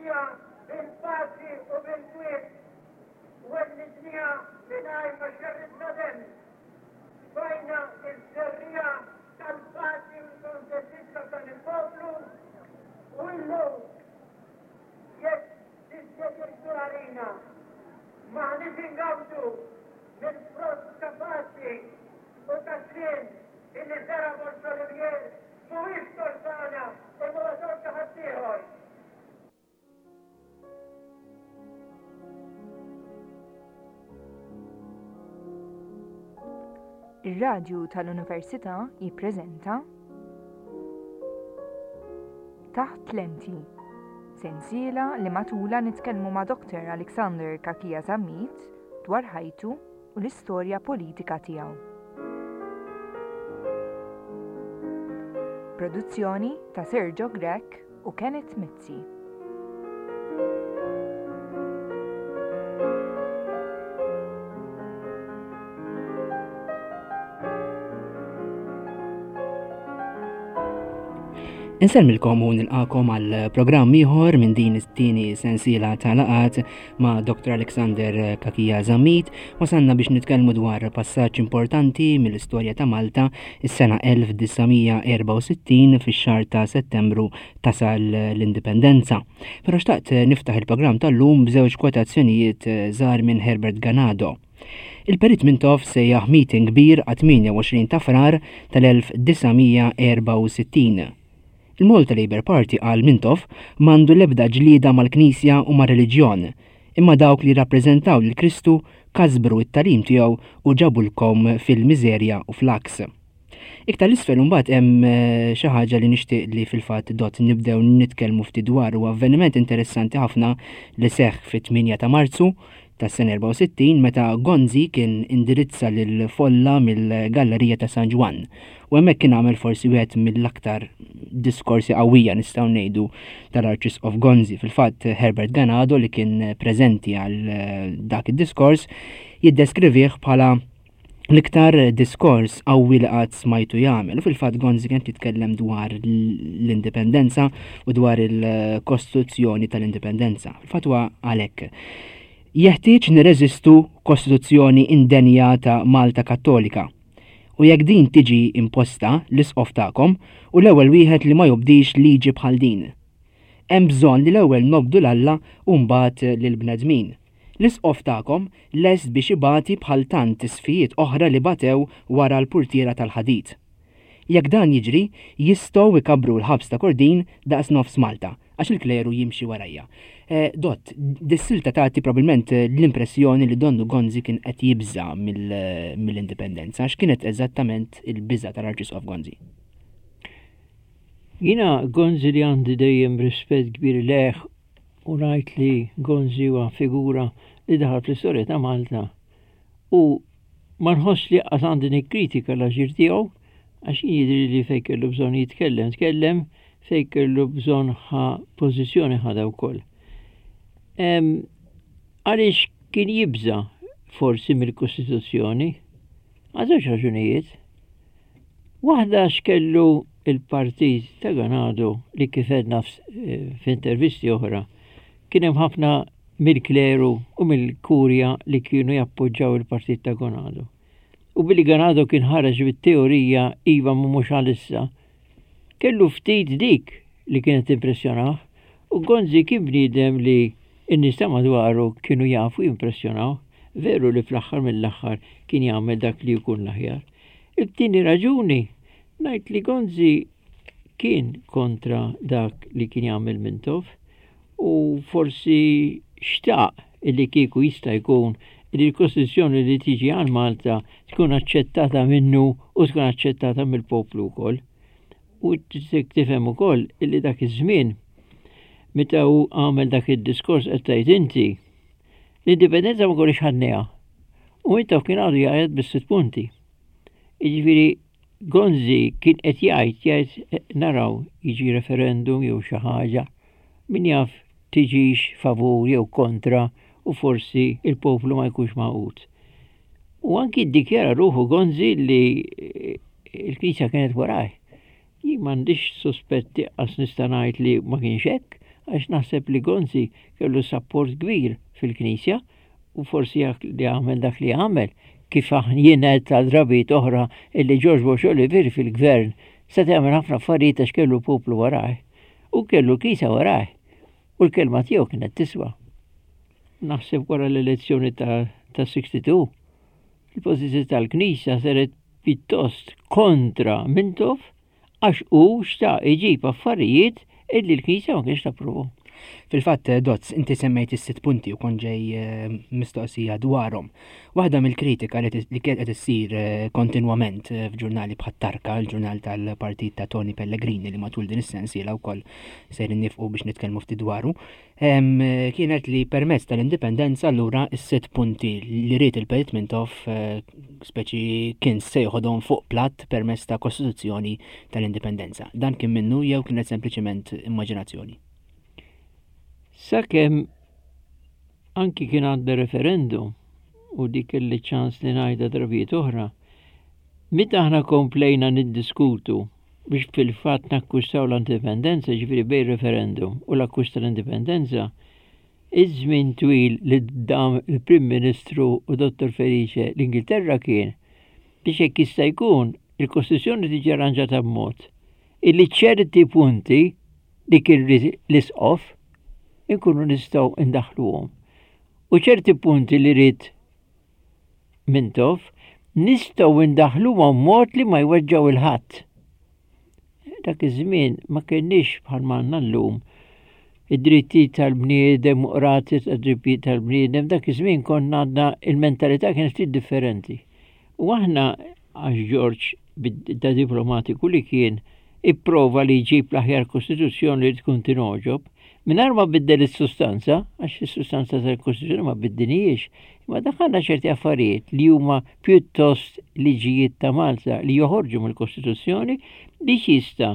Wellidniha bil-paċi u bil-kwiet. Wellidniha mingħajr ma xerridna demm. Tfajna ż-żerriegħa tal-paċi u l-kuntentizza f'dan il-poplu u illum jekk tiddeċiedu għalina m'aħniex ingawdu mill-frott ta' paċi u ta' sliem illi żera' Borg Olivier mhuwiex tort tagħna imma huwa tort ta' ħaddieħor. Ir-Radju tal-Università jippreżenta Taħt Lenti, sensiela li matulha nitkellmu ma' Dr. Alexander Cachia Zammit dwar ħajtu u l-istorja politika tiegħu. Produzzjoni ta' Sergio Grech u Kenneth Mizzi. Insellmilkom u nilqakom għal programm ieħor minn din it-tieni sensiela ta' laqat ma' Dr. Alexander Kakija Zammit. Wasanna biex nitkellmu dwar passaġġ importanti mill-istorja ta' Malta is-sena 1964 fix-xahar ta' Settembru tasal l-Indipendenza. Però xtaqt niftaħ il-programm tal-lum b'żewġ kwotazzjonijiet żgħar minn Herbert Ganado. Il-Perit Mintoff sejjaħ meeting kbir għat-28 ta' Frar tal-1964. Il-Malta Labour Party qal Mintoff m'għandu l-ebda ġlieda mal-Knisja u mar-reliġjon, imma dawk li jirrappreżentaw lil Kristu kasbru t-tagħlim tiegħu u ġabulkom fil-miżerja u fl-għaks. Iktar l-isfel imbagħad hemm eh, xi ħaġa li nixtieq li fil-fatt dot nibdew nitkellmu ftit dwar u avveniment interessanti ħafna li seħħ fit-8 ta' Marzu tas-sena 64 meta Gonzi kien indirizza lil folla mill-Gallerija ta' San Ġwann. U hemmhekk kien għamel forsi wieħed mill-aktar diskorsi qawwija nistgħu ngħidu tal-Arċisqof Gonzi. Fil-fatt Herbert Ganado li kien preżenti għal eh, dak id-diskors jiddeskrivih bħala l-iktar diskors qawwi li qatt smajtu jagħmel. U fil-fatt Gonzi kien jitkellem dwar l-indipendenza u dwar il-kostituzzjoni tal-indipendenza. Fil-fatt huwa għalhekk. Jeħtieġ nirreżistu kostituzzjoni indenja ta' Malta Kattolika. U jekk din tiġi imposta, l-isqof tagħkom u l-ewwel wieħed li ma jobdix liġi bħal din. Hemm bżonn li l-ewwel nobdu 'l Alla u mbagħad lill-bnedmin. L-Isqof tagħkom lest biex ibati bħal tant isqfijiet oħra li batew wara l-purtiera tal-ħadid. Jekk dan jiġri, jistgħu jkabbru l-ħabs ta' Kordin daqs nofs Malta, għax il-kleru jimxi warajja. Dott, dis-silta tagħti probabbilment l-impressjoni li donnu Gonzi kien qed jibża' mill-indipendenza. X'kienet eżattament il-biża' tal-Arċisqof Gonzi? Jiena Gonzi li għandi dejjem rispett kbir lejh u ngħid li Gonzi huwa figura li daħal fl-istorja ta' Malta u ma nħoss li qas għandi nikkritika l-aġir tiegħu għax jien jidri li fejn kellu bżonn jitkellem, tkellem fejn kellu bżonn ħa pożizzjoni ħadha wkoll. Għaliex kien jibża forsi mill-Kostituzzjoni? Għal żewġ raġunijiet. Waħda għax kellu il-partit ta' Ganado li kif għedna eh, f'intervisti oħra kien hemm ħafna mill-kleru u mill-kurja li kienu jappoġġaw il-partit ta' Ganado. U billi Ganado kien ħareġ bit-teorija iva ma mhux għalissa, kellu ftit dik li kienet impressjonah u Gonzi kien bniedem li n-nies ta' madwaru kienu jafu jimpressjonaw, veru li fl-aħħar mill-aħħar kien jagħmel dak li jkun l-aħjar. It-tieni raġuni ngħid li Gonzi kien kontra dak li kien jagħmel Mintoff u forsi xtaq illi kieku jista' jkun li l-Kostituzzjoni li tiġi għal Malta tkun aċċettata minnu u tkun aċċettata mill-poplu wkoll. U tifhem ukoll illi dak iż-żmien meta hu għamel dak id-diskors qed tgħid inti l-indipendenza ma konniex ħadniha. U Mintoff kien għadu jgħid bis-sitt punti. Jiġifieri Gonzi kien qed jgħid jgħid eh, naraw jiġi referendum jew xi ħaġa, min jaf tiġix favur jew kontra u forsi il-poplu ma jkunx magħqud. U anki ddikjara ruħu Gonzi li eh, il-Knisja kienet waraj. Jien m'għandix suspetti qas nista' ngħid li ma kienx hekk, Għax naħseb li Gonzi kellu sapport kbir fil-Knisja u forsi li għamel dak li għamel kif jien għedt għal drabiet oħra illi George Borg Olivier fil-gvern seta' jagħmel ħafna affarijiet għax kellu poplu warajh u kellu l-Knisja warajh u l-kelma tiegħu kienet tiswa. Naħseb wara l-elezzjoni ta' 62 il-pożizzjoni tal-Knisja saret pjuttost kontra Mintoff għax hu xtaq iġib affarijiet illi l-Knisja ma kienx tapprovhom. Fil-fatt, Dozz, inti semmejt is-sitt punti u kont ġej eh, mistoqsija dwarhom. Waħda mill-kritika li kienet qed issir eh, kontinwament eh, f'ġurnali bħat-Tarka, il-ġurnal tal-partit ta' Tony Pellegrini li matul din is-sensiela wkoll sejrin nifqu biex nitkellmu ftit dwaru, kienet li permezz tal-indipendenza allura s-sitt punti li ried il-Perit Mintoff eh, speċi kien se joħodhom fuq platt permezz ta' Kostituzzjoni tal-Indipendenza. Dan kien minnu jew kienet sempliċement immaġinazzjoni? Sakemm anki kien għadda referendum u dik kelli ċans li ngħidha drabijiet oħra, meta aħna komplejna niddiskutu biex fil-fatt nakkwistaw l-indipendenza, ġifieri bejn referendum u l-akkwist tal-indipendenza, iż-żmien twil li dam il-Prim Ministru u Dottor Felice l-Ingilterra kien biex hekk jista' jkun il-Kostituzzjoni tiġi arranġata b'mod illi ċerti punti li kien l-isqof inkunu nistgħu ndaħħluhom. U ċerti punti li ried Mintoff, nistgħu ndaħħluhom mod li ma jweġġgħu il-ħadd. Dak iż-żmien ma kienniex bħal għandna llum id-drittijiet tal-bniedem u qrati tad-drittijiet tal-bniedem, dak iż-żmien konna għandna il-mentalità kienet ftit differenti. U aħna għax Ġorġ ta' diplomatiku li kien ipprova li jġib l-aħjar kostituzzjoni li tkun tingħoġob, mingħajr ma biddel is-sustanza, għax is-sustanza tal-kostituzzjoni ma biddinijiex, imma daħħalna ċerti affarijiet li huma pjuttost liġijiet ta' Malta li joħorġu mill-Kostituzzjoni biex jista'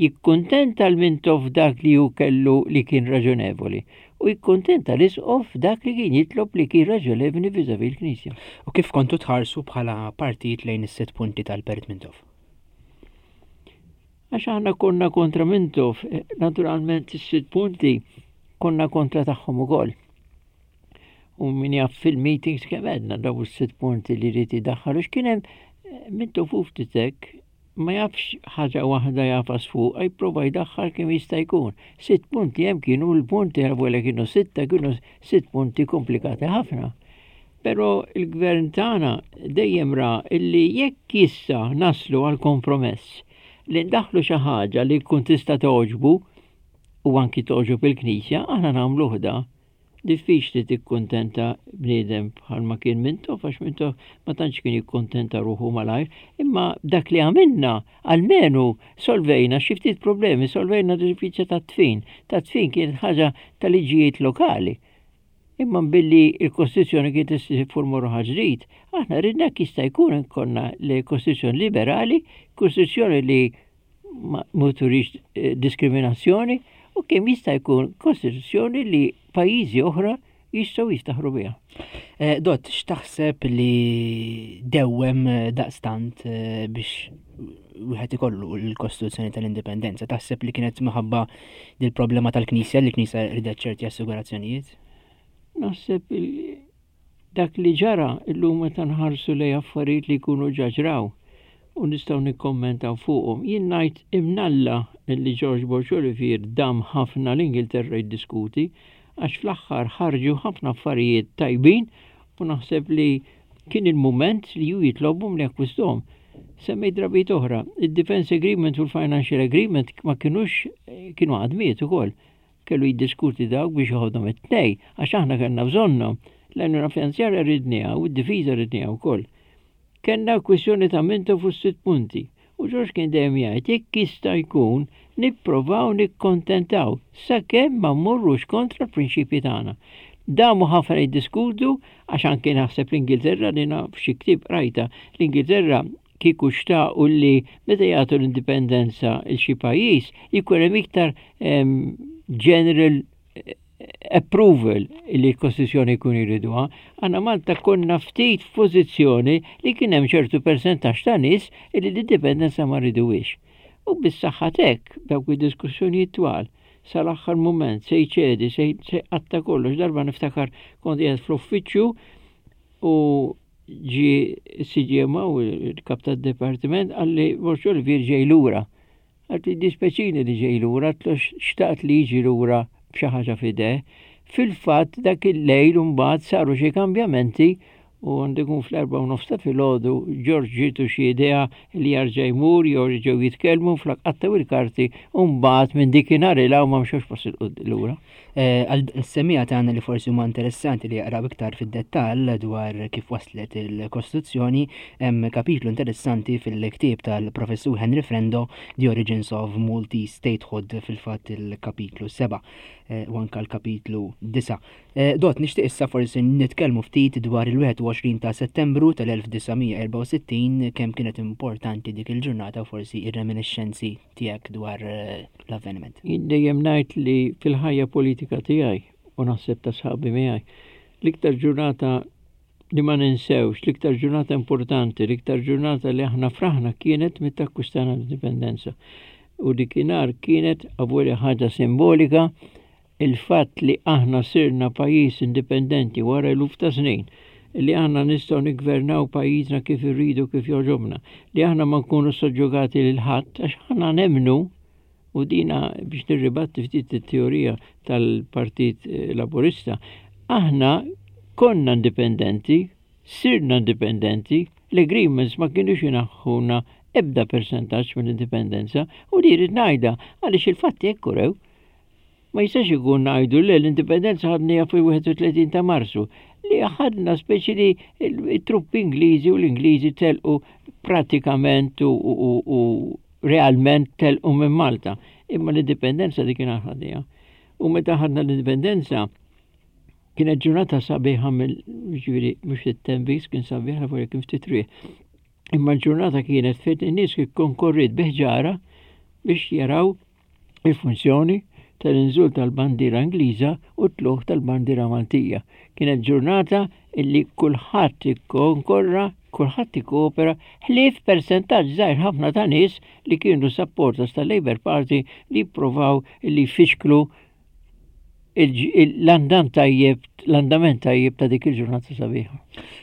jikkuntenta l-Mintoff dak li hu kellu li kien raġonevoli u jikkuntenta l-Isqof dak li kien jitlob li kien raġonevoli vis-à-vis l-Knisja. U kif kontu tħarsu bħala partit lejn is-sitt punti tal-Perit Mintoff? Għax aħna konna kontra Mintoff, eh, naturalment is-sitt punti konna kontra tagħhom ukoll. U min jaf fil-meetings kemm għedna daw is-sitt punti li jrid idaħħal u x'kien hemm eh, Mintoff u ftit hekk ma jafx ħaġa waħda jafas fuqha jipprova jdaħħal kemm jista' jkun. Sitt punti hemm kienu l-punti għal kienu sitta kienu sitt punti komplikati ħafna. Però il-gvern tagħna dejjem ra illi jekk issa naslu għal kompromess li ndaħlu xi ħaġa li tkun tista' togħġbu u anki togħġob il-Knisja, aħna nagħmluh da. Diffiċli tikkuntenta bniedem bħalma kien Mintoff għax Mintoff ma tantx kien jikkuntenta ruħu malajr, imma dak li għamilna almenu solvejna xi ftit problemi, solvejna diffiċli tat-tfin. Tat-tfin kienet ħaġa ta' liġijiet lokali. Imma billi il-Kostituzzjoni kienet tiffurma ruħha ġdid, aħna ridna jista' jkun konna l-Kostituzzjoni liberali, Kostituzzjoni li ma turix eh, diskriminazzjoni u kemm jista' jkun kostituzzjoni li pajjiżi oħra jistgħu jiftaħru biha. Eh, Dott, x'taħseb li dewwem eh, daqstant biex wieħed ikollu l-Kostituzzjoni tal-Indipendenza? Taħseb li kienet minħabba dil-problema tal-Knisja li l-Knisja ridet ċerti assigurazzjonijiet? Naħseb Dak li ġara illum meta nħarsu lejn affarijiet li jkunu ġa ġraw u nistgħu nikkommentaw fuqhom, jien ngħid imnalla li George Borg Olivier dam ħafna l-Ingilterra jiddiskuti għax fl-aħħar ħarġu ħafna affarijiet tajbin u naħseb li kien il-mument li hu jitlobhom li jakkwistahom. Semmejt drabiet oħra, id-Defence Agreement u l-Financial Agreement ma kinux kienu għadmiet ukoll. Kellu jiddiskuti dawk biex joħodhom it-tnej, għax aħna kellna bżonnhom. L-għajnuna finanzjarja ridniha u d-difiża ridniha wkoll. Kellna kwistjoni ta' Mintoff u s-sitt punti. U Ġorġ kien dejjem jgħid jekk jista' jkun nipprovaw nikkontentaw sakemm ma mmorrux kontra l-prinċipji tagħna. Damu ħafna jiddiskutu għax anke naħseb l-Ingilterra li naf xi ktieb qrajta l-Ingilterra kieku xtaqu li meta jagħtu l-indipendenza il xi pajjiż jkun hemm iktar general eh, approval li l-Kostituzzjoni jkun jriduha. Għanna Malta konna ftit f'pożizzjoni li kien hemm ċertu persentaġġ ta' nies li l-indipendenza ma riduwiex. U bis-saħħa tek dawk id-diskussjonijiet twal. sal-aħħar mument, se jċedi, se jqatta' kollox. Darba niftakar kont qiegħed fl-uffiċċju u ġie CGMO, il-kap tad-dipartiment, qalli Borg Olivier ġej lura. Għad li dispeċini li ġej lura, għatlu xtaqt li jiġi lura b'xi ħaġa f'idejh. Fil-fatt dak il-lejl imbagħad saru xi kambjamenti u għandu jkun fl-erbgħa u nofs ta' filgħodu Ġorġ ġietu xi idea li jarġa' jmur jew reġgħu jitkellmu flok qattgħu il-karti u mbagħad minn dikinhar 'il hawn ma mxewx pass 'il lura. Eh, għal semmiegħa tagħna li forsi huma interessanti li jaqraw iktar fid-dettall dwar kif waslet il-Kostituzzjoni, hemm kapitlu interessanti fil-ktieb tal-Professur Henry Frendo, The Origins of Maltese Statehood, fil-fatt il-kapitlu 7 eh, u anka l-kapitlu 9. Eh, Dot, nixtieq issa forsi nitkellmu ftit dwar il-21 ta' Settembru tal-1964 kemm kienet importanti dik il-ġurnata u forsi ir-reminiscenzi tiegħek dwar eh, l-avveniment? Jien dejjem ngħid li fil-ħajja politika tiegħi u naħseb ta' sħabi miegħi, l-iktar ġurnata li ma ninsewx, l-iktar ġurnata importanti, l-iktar ġurnata li aħna fraħna kienet meta akkwistana l-indipendenza. U dikinhar kienet avolja ħaġa simbolika Il-fatt li aħna sirna pajjiż indipendenti wara eluf ta' snin, li aħna nistgħu niggvernaw pajjiżna kif irridu kif jogħġobna, li aħna ma nkunu soġġugati lil ħadd għax aħna nemmnu u dina biex nirribatti ftit it-teorija tal-Partit eh, Laburista, aħna konna indipendenti, sirna indipendenti, l-agreements ma kienux inaħħuna ebda persentaġġ mill-indipendenza u li rrid ngħidha għaliex il-fatti hekk urew. Ma jistax ikun ngħidu le l-indipendenza ħadniha fil-31 ta' Marzu, li ħadna speċi li t-truppi Ingliżi u l-Ingliżi telqu pratikament u, u, u realment telqu minn Malta. Imma l-indipendenza dik kien ħadniha. U meta ħadna l-indipendenza, kienet ġurnata sabiħa mill ġifieri mhux it-temp kien sabiħ la kien ftit riħ. Imma l-ġurnata kienet fejn in-nies konkorriet biħġara biex jaraw il-funzjoni tal-inżul tal-bandiera Ingliża u t-tlugħ tal-bandiera Maltija. Kienet ġurnata illi kulħadd ikkonkorra, kulħadd ikkoopera, ħlief persentaġġ żgħir ħafna ta' nies li kienu supporters tal-Labour Party li jippruvaw illi jfixklu l-andam tajjeb, l-andament tajjeb ta' dik il-ġurnata sabiħa.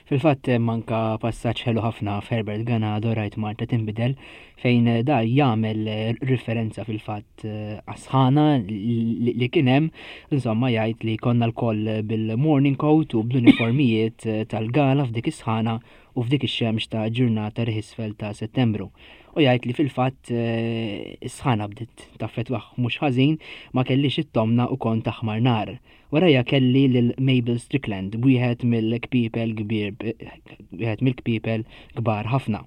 Fil-fatt hemm anka passaġġ ħelu ħafna f'Herbert Ganado rajt Malta tinbidel fejn da jagħmel riferenza fil-fatt eh, għas-sħana li kien hemm, insomma jgħid li konna lkoll bil-morning coat u bl-uniformijiet eh, tal-gala f'dik is-sħana u f'dik ix-xemx ta' ġurnata riħisfel ta' Settembru. U jgħid li fil-fatt eh, is-sħana bdiet taffetwah mhux ħażin, ma kellix it-tomna u kont aħmar nar. Warajja kelli lil Mabel Strickland, wieħed mill-kpiepel kbir wieħed mill-kpiepel kbar ħafna.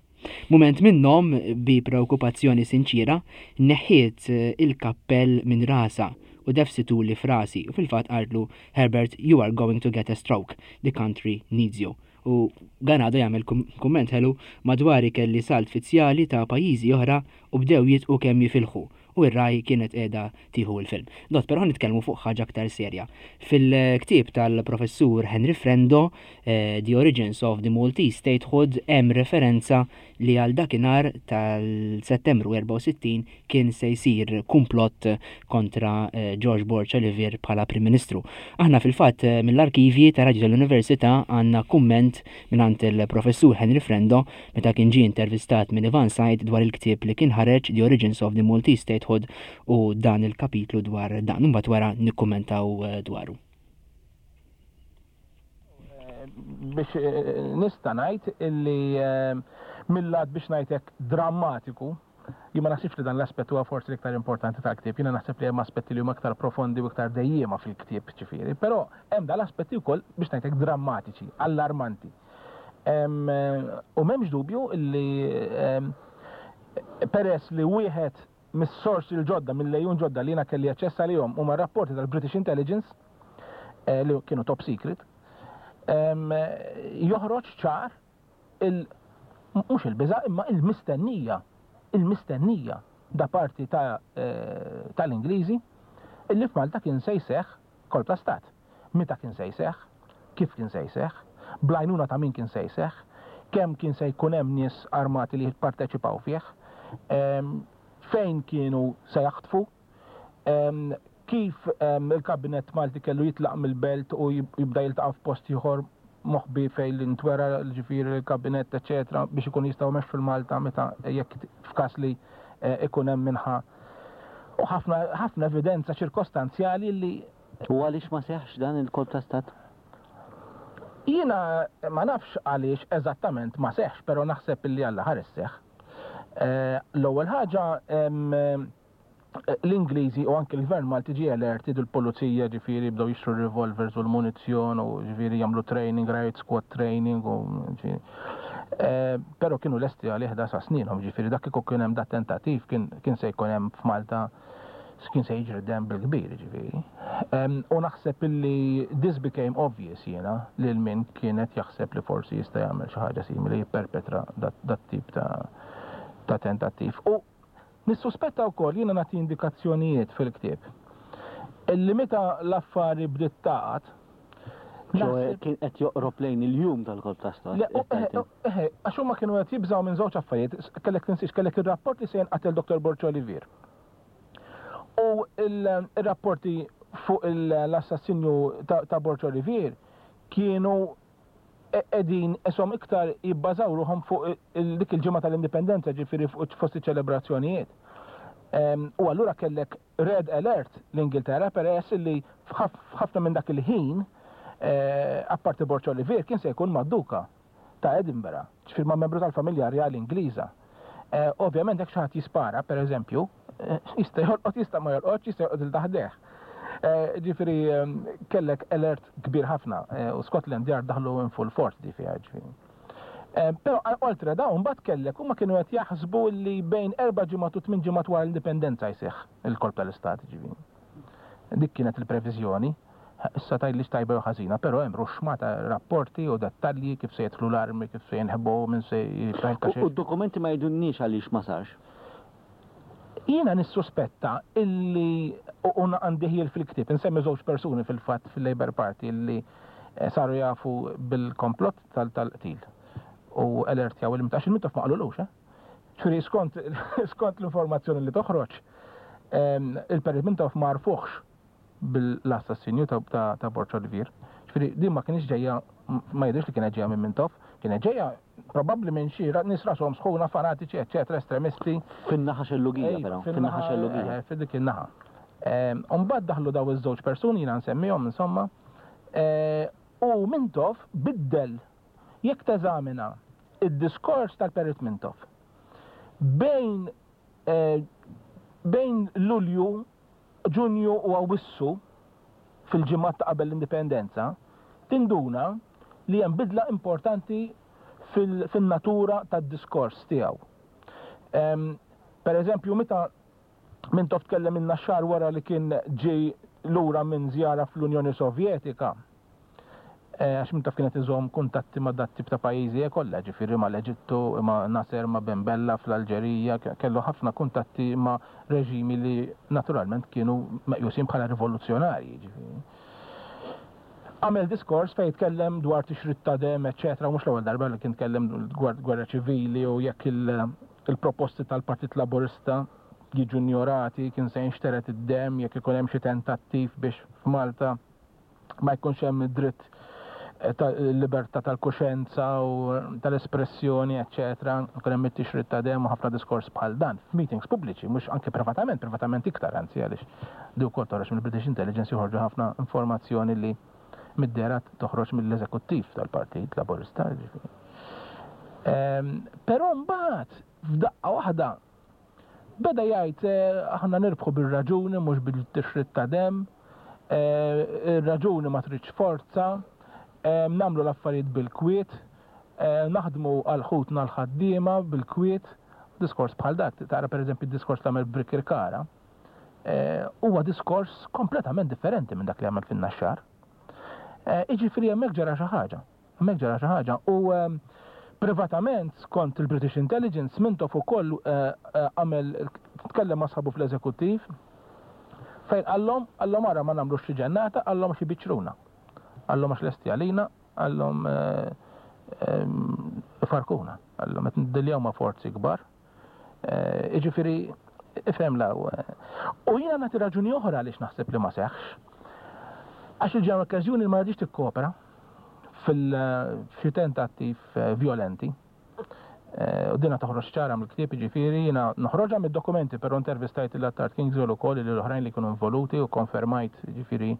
Mument minnhom, bi preokkupazzjoni sinċiera, neħħiet eh, il-kappell minn rasha u defsituli f'rasi u fil-fatt qaltlu Herbert, you are going to get a stroke. The country needs you. U Ganado jagħmel kumment ħelu, madwari kelli salt fizzjali ta' pajjiżi oħra u bdew jidqu kemm jifilħu u r-Rai kienet qiegħda tieħu l-film. Dott, però ħa nitkellmu fuq ħaġa aktar serja. Fil-ktieb tal-Professur Henry Frendo, The Origins of the Maltese Statehood, hemm referenza li għal dakinhar tal-Settembru 64 kien se jsir kumplott kontra eh, George Borg Olivier bħala Prim Ministru. Aħna fil-fatt eh, mill-arkivji ta' Radju tal-Università għandna kumment mingħand il-Professur Henry Frendo meta kien ġie intervistat minn Ivan Said dwar il-ktieb li kien ħareġ The Origins of the Maltese Statehood u dan il-kapitlu dwar dan. Imbagħad wara nikkummentaw eh, dwaru. Biex nista' ngħid illi mill-lat biex ngħidlek drammatiku, Jien ma naħsibx li dan l-aspett huwa forsi l-iktar importanti tal-ktieb. Jiena naħseb li hemm aspetti li huma iktar profondi u iktar dejjiema fil-ktieb, ġifieri. Però hemm dan l-aspetti wkoll, biex ngħid hekk, drammatiċi, allarmanti. U m'hemmx dubju li peress li wieħed mis-sorsi l-ġodda, mill-għejun ġodda li jiena kelli aċċess għalihom huma r-rapporti tal-British Intelligence, li kienu top secret, joħroġ ċar il, mhux il-biża' imma il-mistennija, il-mistennija da parti ta' tal-Ingliżi illi f'Malta kien se jseħħ kolp ta' stat. Meta kien se jseħħ, kif kien se jseħħ, bl-għajnuna ta' min kien se jseħħ, kemm kien se jkun hemm nies armati li jipparteċipaw fih, fejn kienu se jaħtfu, Kif il-Kabinett Malti kellu jitlaq mill-Belt u jibda jiltaqa' f'post ieħor moħbi fejn li ntwera ġifieri l-Kabinett eċċetera biex ikunu jistgħu jmexxu l-Malta meta jekk f'każ li ikun hemm min ħa u ħafna ħafna evidenza ċirkostanzjali li U għaliex ma seħħx dan il-kolp ta' stat? Jiena ma nafx għaliex eżattament ma seħħx, però naħseb illi Alla ħares seħħ. L-ewwel ħaġa l-Ingliżi u anki l-Gvern Malti ġie alerted u l-pulizija ġifieri bdew jixtru r-revolvers u l-munizzjon u ġifieri jagħmlu training, riot squad training u ġifieri. Eh, però kienu lesti għalih da sa sninhom, ġifieri dak kieku kien hemm dat tentattiv kien se jkun hemm f'Malta kien se jiġri dem bil-kbir, ġifieri. U naħseb illi this became obvious jiena lil min kienet jaħseb li forsi jista' jagħmel xi ħaġa simili jipperpetra dat tip ta' tentattiv. U Nissuspetta wkoll, jiena nagħti indikazzjonijiet fil-ktieb, illi meta l-affari bdiet tagħqad, Ċoe kien qed joqrob lejn il-jum tal-kolp ta' stat. Le, eħe, għax huma kienu qed jibżgħu minn żewġ affarijiet, kellek tinsiex kellek ir-rapport li se jinqatel Dr. Borg Olivier. U il-rapporti fuq l-assassinju ta' Borg Olivier kienu qegħdin qishom iktar jibbażaw ruħhom fuq dik il-ġimgħa tal-Indipendenza, ġifieri fuq fost iċ-ċelebrazzjonijiet. U allura kellek red alert l-Ingilterra peress li f'ħafna minn dak il-ħin eh, apparti Borg Olivier kien se jkun mad-Duka ta' Edinburgh, ġifieri ma' membru tal-familja rjali Ingliża. Eh, ovvjament jekk xi ħadd jispara, pereżempju, Jista' jolqot, jista' ma jolqotx, jista' jolqot il taħdeh. Eh, ġifieri ehm, kellek alert kbir ħafna eh, u Scotland Yard daħlu in full force di fiha ġifieri. Eh, però oltre dawn mbagħad kellek huma kienu qed jaħsbu li bejn erba' ġimgħat u tmien ġimgħat wara l-indipendenza jseħħ il-kolp tal-istat ġifieri. Dik kienet il-previżjoni. Issa tgħidlix tajba jew ħażina, però hemm ruxxma ta' rapporti u dettalji kif se jidħlu l-armi, kif se jinħbu, min se jiftaħ U d-dokumenti ma jgħidulniex għaliex ma sarx. Jiena nissuspetta illi, u għandi ħjiel fil-ktieb, insemmi żewġ persuni fil-fatt fil-Labour Party illi eh, saru jafu bil-komplott tal-qtil u alertjaw il għax il-Mintoff ma qalulux, eh? Ġifieri skont skont l-informazzjoni li toħroġ, ehm, il-Perit Mintoff ma għarfuhx bil-assassinju ta' Borg Olivier. Ġifieri din ma kienx ġejja ma jidhirx li kienet ġejja minn Mintoff, kienet ġejja probabbli minn xi nies rashom sħuna, fanatiċi, eċċetera, estremisti. Fin-naħa xellugija però, fin-naħa xellugija. Eh, f'dik in-naħa. Ehm, u mbagħad daħlu daw iż-żewġ persuni jiena nsemmihom insomma, eh, u Mintoff biddel jekk teżamina id-diskors tal-Perit Mintoff bejn eh, bejn Lulju Ġunju u Awwissu, fil-ġimgħat ta' qabel l-Indipendenza, tinduna li hemm bidla importanti fin-natura tad-diskors tiegħu. Per eżempju, meta Mintoff tkellem in-Naxxar wara li kien ġie lura minn żjara fl-Unjoni Sovjetika, Għax min taf kien qed iżomm kuntatti ma' dat-tip ta' pajjiżi kollha, ġifieri mal-Eġittu, ma' Nasser, ma' Ben Bella fl-Alġerija, kellu ħafna kuntatti ma' reġimi li naturalment kienu meqjusin bħala rivoluzzjonarji, ġifieri. Għamel diskors fejn tkellem dwar tixrid ta' demm, eċċetera, u mhux l-ewwel darba li kien tkellem dwar gwerra ċivili u jekk il-proposti tal-Partit Laburista jiġu njorati, kien se jinxtered id-demm jekk ikun hemm xi tentattiv biex f'Malta ma jkunx hemm id-dritt eh, tal-libertà tal-kuxenza u tal-espressjoni, eċċetera, ikun hemm it-tixrid ta' demm u ħafna diskors bħal dan f'meetings pubbliċi, mhux anke privatament, privatament iktar anzi għaliex di wkoll toħroġ mill-British Intelligence joħorġu ħafna informazzjoni li mid-dehra toħroġ mill-eżekuttiv tal-Partit Laburista. Ġifieri. Ehm, però mbagħad f'daqqa waħda Beda jgħid aħna nirbħu bir-raġuni mhux bil-tixrid ta' demm, ir-raġuni ma tridx forza, nagħmlu l-affarijiet bil-kwiet, naħdmu għal ħutna l-ħaddiema bil-kwiet. Diskors bħal dak, tara pereżempju d-diskors li għamel Birkirkara, huwa diskors kompletament differenti minn dak li għamel fin-Naxxar. Jiġifieri hemmhekk ġara xi ħaġa. Hemmhekk ġara xi ħaġa. U privatament, skont il-British Intelligence, Mintoff ukoll għamel tkellem ma' sħabu fl-eżekuttiv fejn qallhom, qallhom ara ma nagħmlux xi ġennata, qallhom għax ibiċċruna. Qallhom għax lesti għalina, qallhom ifarkuna. Qallhom qed niddiljaw ma' forzi kbar. Jiġifieri ifhem l. U jiena nagħti raġuni oħra għaliex naħseb li ma seħħx. Għax il-General Workers Union ma raditx tikkopera fil-xi tentattiv vjolenti. U dina toħroġ ċara mill-ktieb, jiġifieri jiena noħroġha mid-dokumenti, però intervistajt lil Attard Kingswell ukoll lil oħrajn li kienu involuti u kkonfermajt, jiġifieri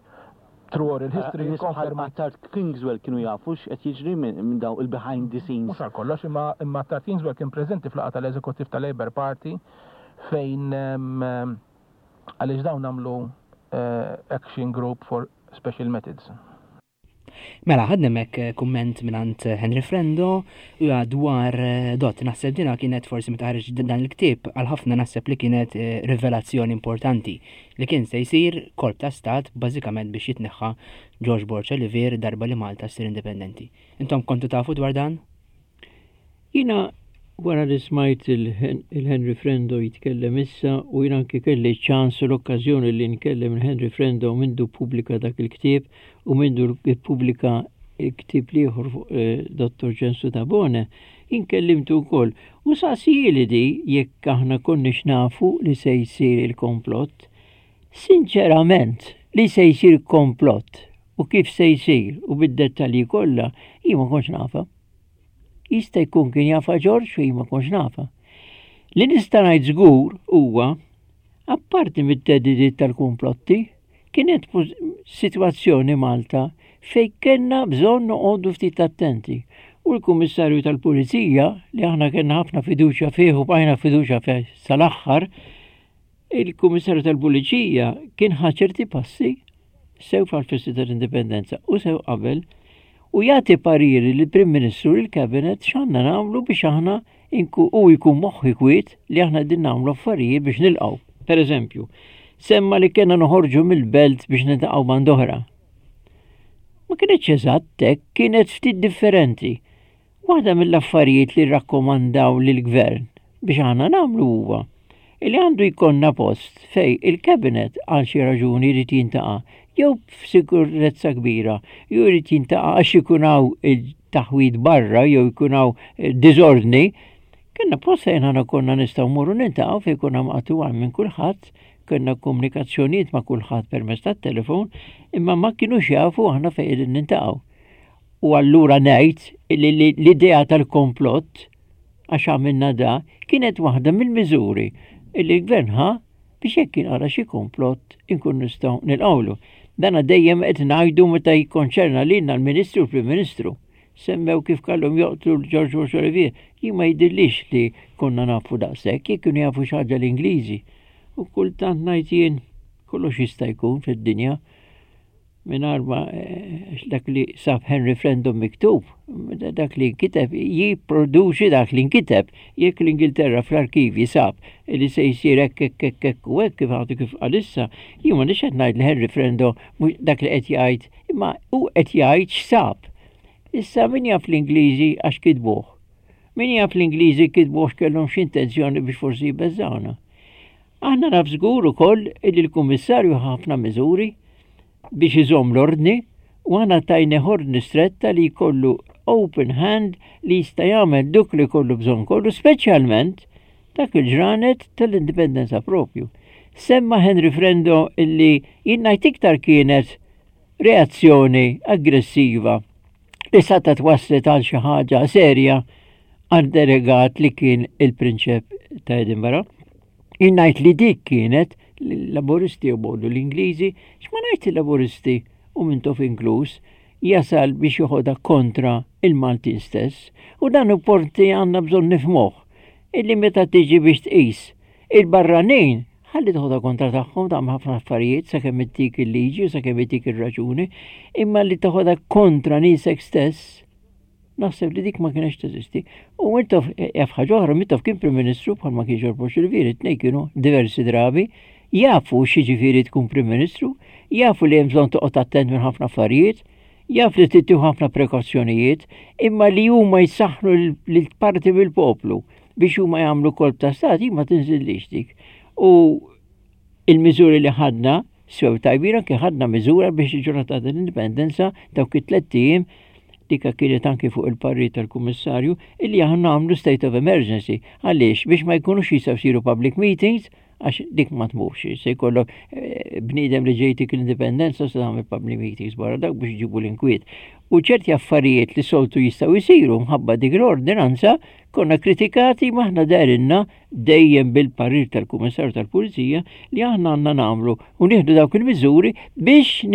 through oral history ikkonfermajt. Attard Kingswell kienu jafu x'qed jiġri minn dawn il-behind the scenes? Mhux għal kollox, imma imma Attard Kingswell kien preżenti f'laqgħa tal-eżekuttiv tal-Labour Party fejn għaliex dawn għamlu action group for special methods. Mela, ħadna hemmhekk eh, kumment mingħand eh, Henry Frendo u dwar eh, dot naħseb dina kienet forsi meta ħareġ dan il-ktieb għal ħafna naħseb li kienet rivelazzjoni importanti li kien se jsir kolp ta' stat bażikament biex jitneħħa George Borg Olivier darba li Malta ssir indipendenti. Intom kontu tafu dwar dan? Jiena wara li smajt il-Henry Frendo jitkellem issa u jiena anki kelli ċans u l-okkażjoni li nkellem il-Henry Frendo mindu ppubblika dak il-ktieb u mindu ppubblika il-ktieb l-ieħor fuq eh, Dottor Ċensu Tabone, jien kellimtu wkoll u saqsijieli di jekk aħna konniex nafu li se jsir il-komplott. Sinċerament, li se jsir komplott u kif se jsir u bid-dettalji kollha, jien ma kontx nafha. Jista' jkun kien jafha Ġorġ u jien ma kontx nafha. Li nista' ngħid żgur huwa, apparti mit-theddidiet tal-kumplotti, kienet sitwazzjoni Malta fejn kellna bżonn noqogħdu ftit attenti. U l-Kummissarju tal-Pulizija, li aħna kellna ħafna fiduċja fih u bqajna fiduċja fih sal-aħħar, Il-Kummissarju tal-Pulizija kien ħa ċerti passi sew fal-festi tal-Indipendenza u sew qabel u jagħti pariri lill-Prim Ministru lil cabinet x'għandna nagħmlu biex aħna u jkun moħħi kwiet li aħna qegħdin nagħmlu affarijiet biex nilqgħu. Per eżempju, semma li kellna noħorġu mill-belt biex niltaqgħu band oħra. Ma kienx eżatt hekk, kienet ftit differenti. Waħda mill-affarijiet li rrakkomandaw lill-Gvern biex aħna nagħmlu huwa li għandu jkollna post fejn il-Cabinet għal xi raġuni jrid jintaqa' jew f'sikurezza kbira jew jrid jintaqa' għax ikun hawn il-taħwid barra jew ikun hawn eh, diżordni, kellna post fejn aħna konna nistgħu mmorru nintaqgħu fejn konna maqtuha minn kulħadd, kellna komunikazzjonijiet ma' kulħadd permezz tat-telefon, imma ma kinux jafu aħna fejn qegħdin nintaqgħu. U allura ngħid li l-idea tal-komplott għax għamilna da kienet waħda mill-miżuri li l-gvern ħa biex jekk jinqara xi komplott inkun nistgħu nilqgħulu. Dana dejjem qed ngħidu meta jikkonċerna lilna l-Ministru u l-Prim Ministru. Semmew kif kellhom joqtlu l-George Bush Olivier. Jien ma jidhirlix li konna nafu daqshekk, jekk kienu jafu xi ħaġa l-Ingliżi. U kultant ngħid jien kollox jista' jkun fid-dinja. Mingħajr ma eh, dak li sab Henry Frendon miktub, dak li nkiteb jipproduċi dak li nkiteb. Jekk l-Ingilterra fl-arkivji sab li se jsir hekk hekk hekk hekk u hekk kif għadu kif għalissa, jien ma nix qed ngħid li Henry Frendo mhux dak li qed jgħid, imma hu qed jgħid x'sab. Issa min jaf l-Ingliżi għax kitbuh. Min jaf l-Ingliżi kitbuh x'kellhom x'intenzjoni biex forsi jbeżżawna. Aħna naf żgur ukoll li l-Kummissarju ħa ħafna miżuri biex iżomm l-ordni u aħna tajnieh ordni stretta li jkollu open hand li jista' jagħmel duk li jkollu bżonn kollu, speċjalment dak il-ġranet tal-indipendenza propju. Semma Henry Frendo illi jien ngħid iktar kienet reazzjoni aggressiva li sata twasslet għal xi ħaġa serja għal delegat li kien il-prinċep ta' Edinburgh. Jien ngħid li dik kienet l-Laburisti u bollu l-Ingliżi, x'ma ngħid il-Laburisti u Mintoff inkluż, jasal biex joħodha kontra il-Maltin stess. U dan porti għandna bżonn nifhmuh illi meta tiġi biex tqis il-barranin ħalli toħodha kontra tagħhom tagħmel ħafna affarijiet sakemm ittik il-liġi u sakemm ittik ir-raġuni, imma li toħodha kontra niesek stess Naħseb li dik ma kienx teżisti. U Mintoff, jaf ħaġa oħra, Mintoff kien Prim Ministru bħalma kien Ġorġ Borg Olivier, it-tnejn kienu diversi drabi, jafu x'jiġifieri tkun Prim Ministru, jafu li hemm bżonn toqgħod attent minn ħafna affarijiet, jaf li trid tieħu ħafna prekawzjonijiet, imma li huma jsaħħnu lil parti mill-poplu biex huma jagħmlu kolp ta' stat, jien ma tinżillix dik. U Il-miżuri li ħadna sew tajbin anke ħadna miżura biex il-ġurnata tal-indipendenza dawk it-tlett ijiem dika kienet anki fuq il-parri tal-kummissarju illi aħna għamlu state of emergency. Għaliex biex ma jkunux jistgħu jsiru public meetings. Għax dik ma tmurx, se jkollok eh, bniedem li ġejtik l-indipendenza se tagħmel public meetings barra dak biex ġibu l-inkwiet. U ċerti affarijiet li soltu jistgħu jsiru mħabba dik l-ordinanza konna kritikati maħna darinna dejjem bil-parir tal-Kummissarju tal-Pulizija li aħna għandna nagħmlu u nieħdu dawk il-miżuri biex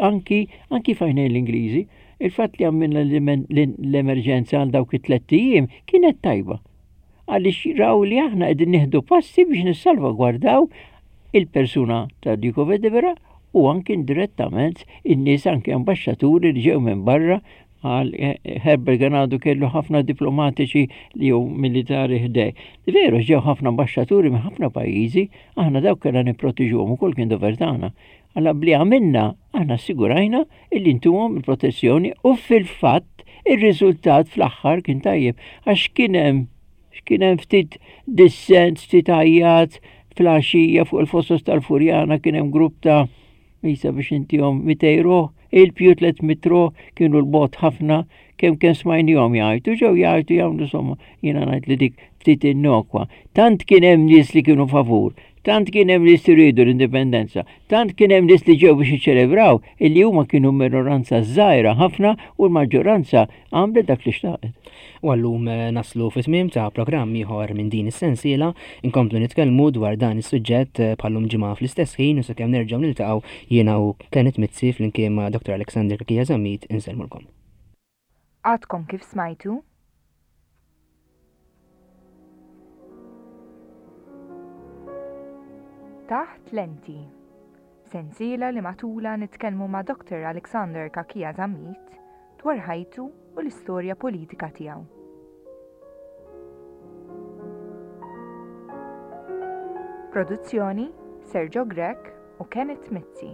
anki anki fajnejn l-Ingliżi. Il-fatt li għamilna l-emerġenza għal dawk it-tlett ijiem kienet tajba. Għaliex raw li aħna qegħdin nieħdu passi biex nissalvagwardaw il-persuna ta' Duke of Edinburgh u anki indirettament in-nies anki ambaxxaturi li ġew minn barra għal eh, Herbert Ganado kellu ħafna diplomatiċi li jew militari ħdej. Veru ġew ħafna ambaxxaturi minn ħafna pajjiżi, aħna dawk kellna nipprotiġuhom ukoll kien dover tagħna. Alla bli għamilna, aħna assigurajna illi ntuhom il-protezzjoni u fil-fatt ir-riżultat fl-aħħar kien tajjeb għax kien hemm kien hemm ftit dissent, ftit għajjat fl-għaxija fuq il-fossos tal-Furjana kien hemm grupp ta' Isa biex intihom 200 ruħ, il-pju 300 ruħ kienu l-bot ħafna kemm kemm smajnihom jgħajtu, ġew jgħajtu jagħmlu somma jiena ngħid li dik ftit innokwa. Tant kien hemm nies li kienu favur, tant kien hemm nies li riedu l-indipendenza, tant kien hemm nies li ġew biex jiċċelebraw illi huma kienu minoranza żgħira ħafna u l-maġġoranza għamlet dak li xtaqet. U għallum eh, naslu fi tmiem ta' programm ieħor minn din is-sensiela, inkomplu nitkellmu dwar dan is-suġġett eh, bħallum ġimgħa fl-istess ħin u sakemm nerġgħu niltaqgħu jiena u Kenneth Mizzi flimkien ma' Dr. Alexander Kakija Zammit insellmulkom. Għadkom kif smajtu? Taħt Lenti. Sensiela li matulha nitkellmu ma' Dr. Alexander Cachia Zammit dwar ħajtu u l-istorja politika tiegħu. Produzzjoni Sergio Grech u Kenneth Mizzi.